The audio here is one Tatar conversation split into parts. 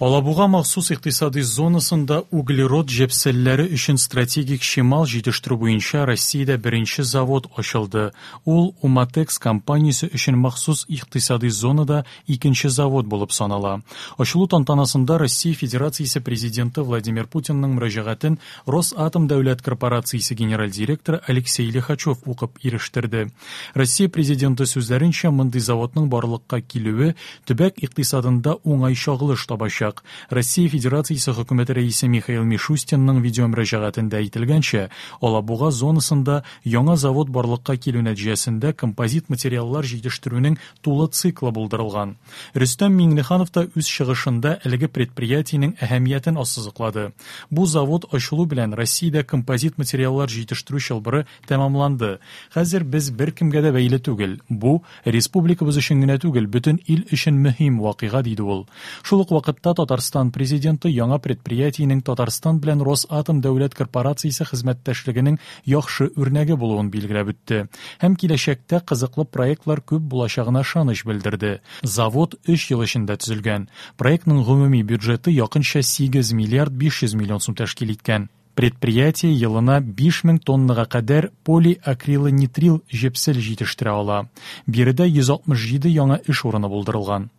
Алабуга махсус икътисади зонасында углерод җепселләре өчен стратегик чимал җитештерү буенча Россиядә беренче завод ачылды. Ул Уматекс компаниясе өчен махсус икътисади зонада икенче завод булып санала. Ачылу тантанасында Россия Федерациясе Президенты Владимир Путинның мөрәҗәгатен Росатом дәүләт корпорациясе генераль директоры Алексей Лихачев укып ирештерде. Россия Президенты сүзләренчә, мондый заводның барлыкка килүе төбәк икътисадында уңай чагылыш табачак. Россия Федерациясе Хөкүмәте Рәисе Михаил Мишустинның видеомөрәҗәгатендә әйтелгәнчә, Алабуга зонасында яңа завод барлыкка килү нәтиҗәсендә композит материаллар җитештерүнең тулы циклы булдырылган. Рөстәм Миңнеханов та үз чыгышында әлеге предприятиенең әһәмиятен ассызыклады. Бу завод ачылу белән Россиядә композит материаллар җитештерү чылбыры тәмамланды. Хәзер без беркемгә дә бәйле түгел. Бу, республикабыз өчен генә түгел, бөтен ил өчен мөһим вакыйга, диде ул. Шул ук вакытта Татарстан Президенты яңа предприятиенең Татарстан белән Росатом дәүләт корпорациясе хезмәттәшлегенең яхшы үрнәге булуын билгеләп үтте һәм киләчәктә кызыклы проектлар күп булачагына ышаныч белдерде. Завод өч ел эчендә төзелгән. Проектның гомуми бюджеты якынча 8 миллиард 500 миллион сум тәшкил иткән. Предприятие елына 5000 тоннага кадәр полиакрилонитрил җепсел җитештерә ала. Биредә 167 яңа эш урыны булдырылган.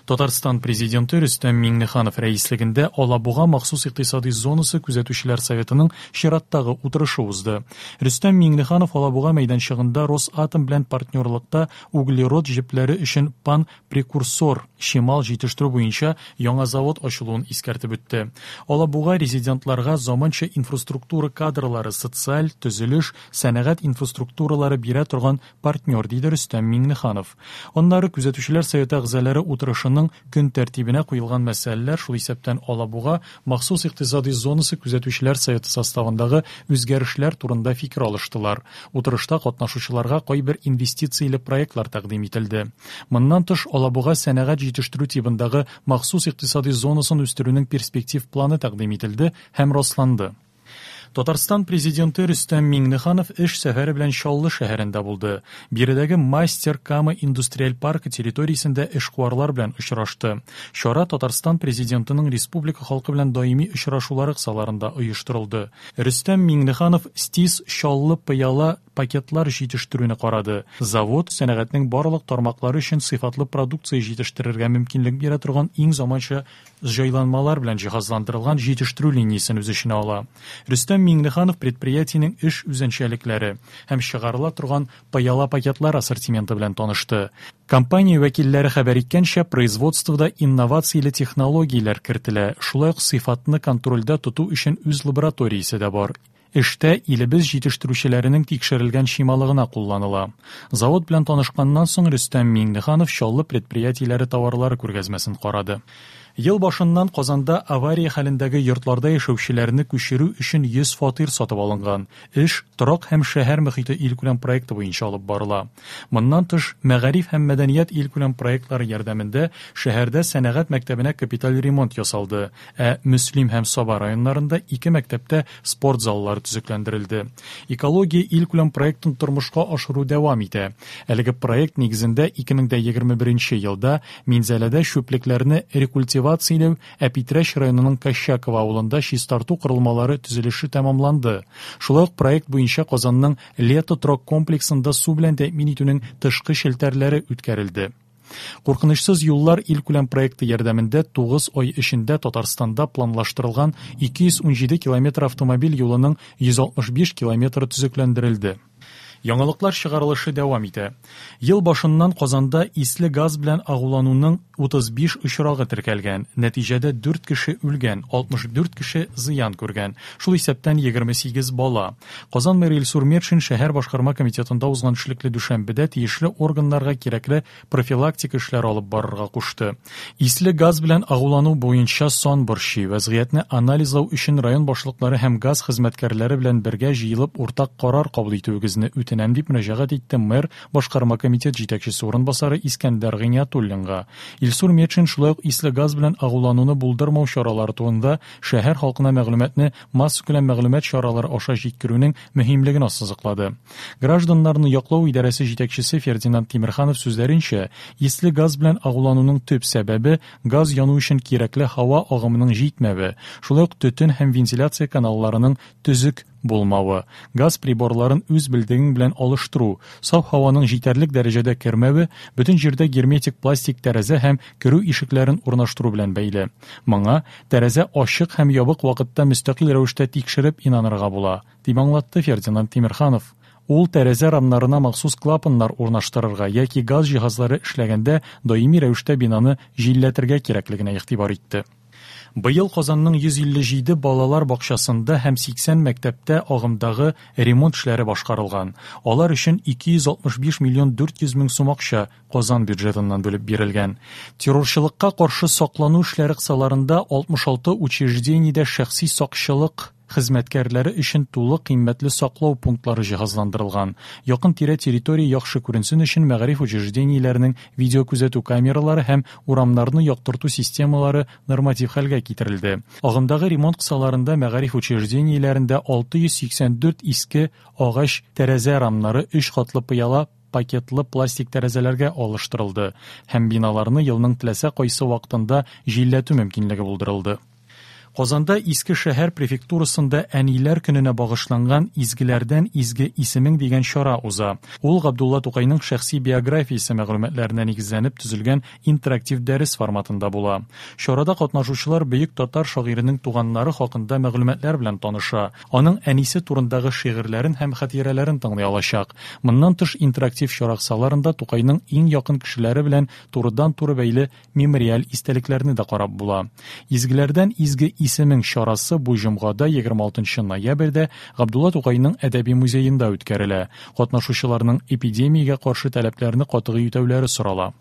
Татарстан Президенты Рөстәм Миңнеханов рәислегендә Алабуга махсус икътисади зонасы күзәтүчеләр советының чираттагы утырышы узды. Рөстәм Миңнеханов Алабуга мәйданчыгында Росатом белән партнерлыкта углерод җепләре өчен пан прекурсор чимал җитештерү буенча яңа завод ачылуын искәртеп үтте. Алабуга резидентларга заманча инфраструктура кадрлары, социаль, төзелеш, сәнәгать инфраструктуралары бирә торган партнер, диде Рөстәм Миңнеханов. Аннары Күзәтүчеләр советы әгъзалары утырышының көн тәртибенә куелган мәсьәләләр, шул исәптән Алабуга махсус икътисади зонасы Күзәтүчеләр советы составындагы үзгәрешләр турында фикер алыштылар. Утырышта катнашучыларга кайбер инвестицияле проектлар тәкъдим ителде. Моннан тыш, Алабуга сәнәгать җитештерү тибындагы махсус икътисади зонасын үстерүнең перспектив планы тәкъдим ителде һәм расланды. Татарстан Президенты Рөстәм Миңнеханов эш сәфәре белән Чаллы шәһәрендә булды. Биредәге Мастер Кама индустриаль паркы территориясендә эшкуарлар белән очрашты. Чара Татарстан Президентының республика халкы белән даими очрашулары кысаларында оештырылды. Рөстәм Миңнеханов СТИС Чаллы пыяла пакетлар җитештерүне карады. Завод сәнәгатьнең барлык тармаклары өчен сыйфатлы продукция җитештерергә мөмкинлек бирә торган иң заманча җайланмалар белән җиһазландырылган җитештерү линиясен үз эченә ала. Рөстәм Миңнеханов предприятиенең эш үзенчәлекләре һәм чыгарыла торган пыяла пакетлар ассортименты белән танышты. Компания вәкилләре хәбәр иткәнчә, производствода инновацияле технологияләр кертелә, шулай ук сыйфатны контрольдә тоту өчен үз лабораториясе дә бар. Эштә илебез җитештерүчеләренең тикшерелгән чималы гына кулланыла. Завод белән танышканнан соң Рөстәм Миңнеханов Чаллы предприятиеләре товарлары күргәзмәсен карады. Ел башыннан Казанда авария хәлендәге йортларда яшәүчеләрне күчерү өчен 100 фатир сатып алынган. Эш Торак һәм шәһәр мөхите илкүләм проекты буенча алып барыла. Моннан тыш, Мәгариф һәм мәдәният илкүләм проектлары ярдәмендә шәһәрдә сәнәгать мәктәбенә капиталь ремонт ясалды, Ә Мөслим һәм Саба районнарында ике мәктәптә спорт заллары төзекләндерелде. Экология илкүләм проектын тормышка ашыру дәвам итә. Әлеге проект нигезендә 2021 елда Минзәләдә чүплекләрне рекультивацияләү, ә Питрәч районының Кощаково авылында чистарту корылмалары төзелеше тәмамланды. Шулай ук проект буенча Казанның Лето торак комплексында су белән тәэмин итүнең тышкы челтәрләре үткәрелде. Куркынычсыз юллар илкүләм проекты ярдәмендә 9 ай эчендә Татарстанда планлаштырылган 217 километр автомобиль юлының 165 километры төзекләндерелде. Яңалыклар чыгарылышы дәвам итә. Ел башыннан Казанда исле газ белән агулануның 35 очрагы теркәлгән. Нәтиҗәдә 4 кеше үлгән, 64 кеше зыян күргән, шул исәптән 28 бала. Казан мэры Илсур Метшин шәһәр башкарма комитетында узган эшлекле дүшәмбедә тиешле органнарга кирәкле профилактика эшләре алып барырга кушты. Исле газ белән агулану буенча сан борчый. Вәзгыятьне анализлау өчен район башлыклары һәм газ хезмәткәрләре белән бергә җыелып уртак карар кабул итүегезне үтенәм. үтенәм, дип мөрәҗәгать итте мэр башкарма комитет җитәкчесе урынбасары Искәндәр Гыйниятуллинга. Илсур Метшин шулай ук исле газ белән агулануны булдырмау чаралары турында шәһәр халкына мәгълүматны массакүләм мәгълүмат чаралары аша җиткерүнең мөһимлеген ассызыклады. Гражданнарны яклау идарәсе җитәкчесе Фердинанд Тимерханов сүзләренчә, исле газ белән агулануның төп сәбәбе газ яну өчен кирәкле һава агымының җитмәве, шулай ук төтен һәм вентиляция каналларының төзек булмавы, газ приборларын үз белдегең белән алыштыру, саф һаваның җитәрлек дәрәҗәдә кермәве, бөтен җирдә герметик пластик тәрәзә һәм керү ишекләрен урнаштыру белән бәйле. Моңа тәрәзә ачык һәм ябык вакытта мөстәкыйль рәвештә тикшереп инанырга була, дип аңлатты Фердинанд Тимерханов. Ул тәрәзә рамнарына махсус клапаннар урнаштырырга яки газ җиһазлары эшләгәндә даими рәвештә бинаны җилләтергә кирәклегенә игътибар итте. Быел Казанның 157 балалар бакчасында һәм 80 мәктәптә агымдагы ремонт эшләре башкарылган. Алар өчен 265 миллион 400 мең сум акча Казан бюджетыннан бүлеп бирелгән. Террорчылыкка каршы саклану эшләре кысаларында 66 учреждениедә шәхси сакчылык хезмәткәрләре өчен тулы кыйммәтле саклау пунктлары җиһазландырылган. Якын-тирә территория яхшы күренсен өчен мәгариф учреждениеләренең видеокүзәтү камералары һәм урамнарны яктырту системалары норматив хәлгә китерелде. Агымдагы ремонт кысаларында мәгариф учреждениеләрендә 684 иске агач тәрәзә рамнары өч катлы пыяла пакетлы пластик тәрәзәләргә алыштырылды һәм биналарны елның теләсә кайсы вакытында җилләтү мөмкинлеге булдырылды. Казанда Иске шәһәр префектурасында Әниләр көненә багышланган Изгеләрдән изге исемең дигән чара уза. Ул Габдулла Тукайның шәхси биографиясе мәгълүматларына нигезләнеп төзелгән интерактив дәрес форматында була. Чарада катнашучылар бөек татар шагыйренең туганнары хакында мәгълүматлар белән таныша, аның әнисе турындагы шигырьләрен һәм хатирәләрен тыңлый алачак. Моннан тыш, интерактив чара кысаларында Тукайның иң якын кешеләре белән турыдан-туры бәйле мемориаль истәлекләрне дә карап була. Изгеләрдән изге исемең чарасы бу җомгада 26 ноябрьдә Габдулла Тукайның әдәби музеенда үткәрелә. Катнашучыларның эпидемиягә каршы таләпләрне катгый үтәүләре сорала.